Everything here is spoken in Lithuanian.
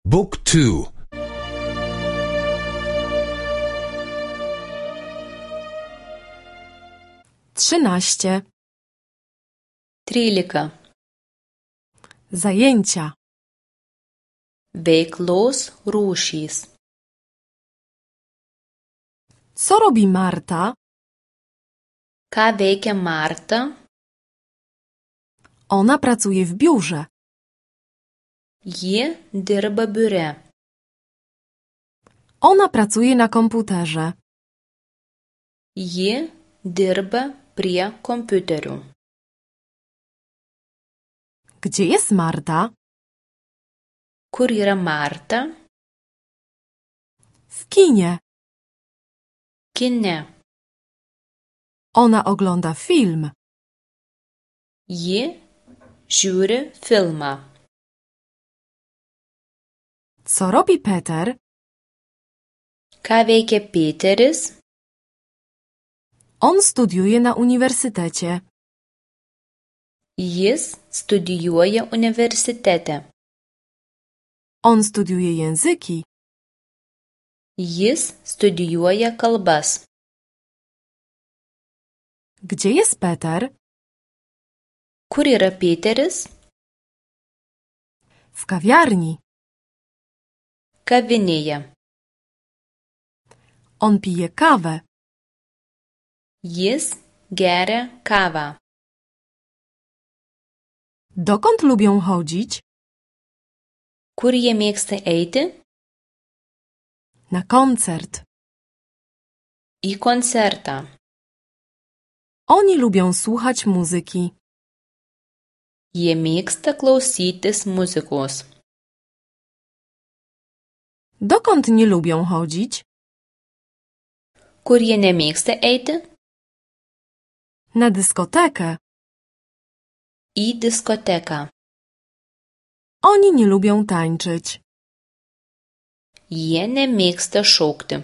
Book 2. 13. 13. Zajęcia. Veiklos rūšys. Co robi Marta? Ką veikia Marta? Ona pracuje w biurze. Ji dirba biure. Ona pracuje na komputerze. Ji dirba prie kompiuterių. Gdzie jest Marta? Kur yra Marta? W kinie. Kine. Ona ogląda film. Ji žiūri filmą. Co robi Peter? Ką veikia Peteris? On studiuje na uniwersytecie. Jis studijuoja universitete. On studiuje języki. Jis studijuoja kalbas. Gdzie jest Peter? Kur yra Peteris? W kawiarni. Kavinėje. On pije kawę. Jis geria kawą. Dokąd lubią chodzić? Kur jie mėgsta eiti? Na koncert. Į koncertą. Oni lubią słuchać muzyki. Jie mėgsta klausytis muzikos. Dokąd nie lubią chodzić? Kur jie nemėgsta eiti? Na dyskotekę. Į diskoteką. Oni nie lubią tańczyć. Jie nemėgsta šokti.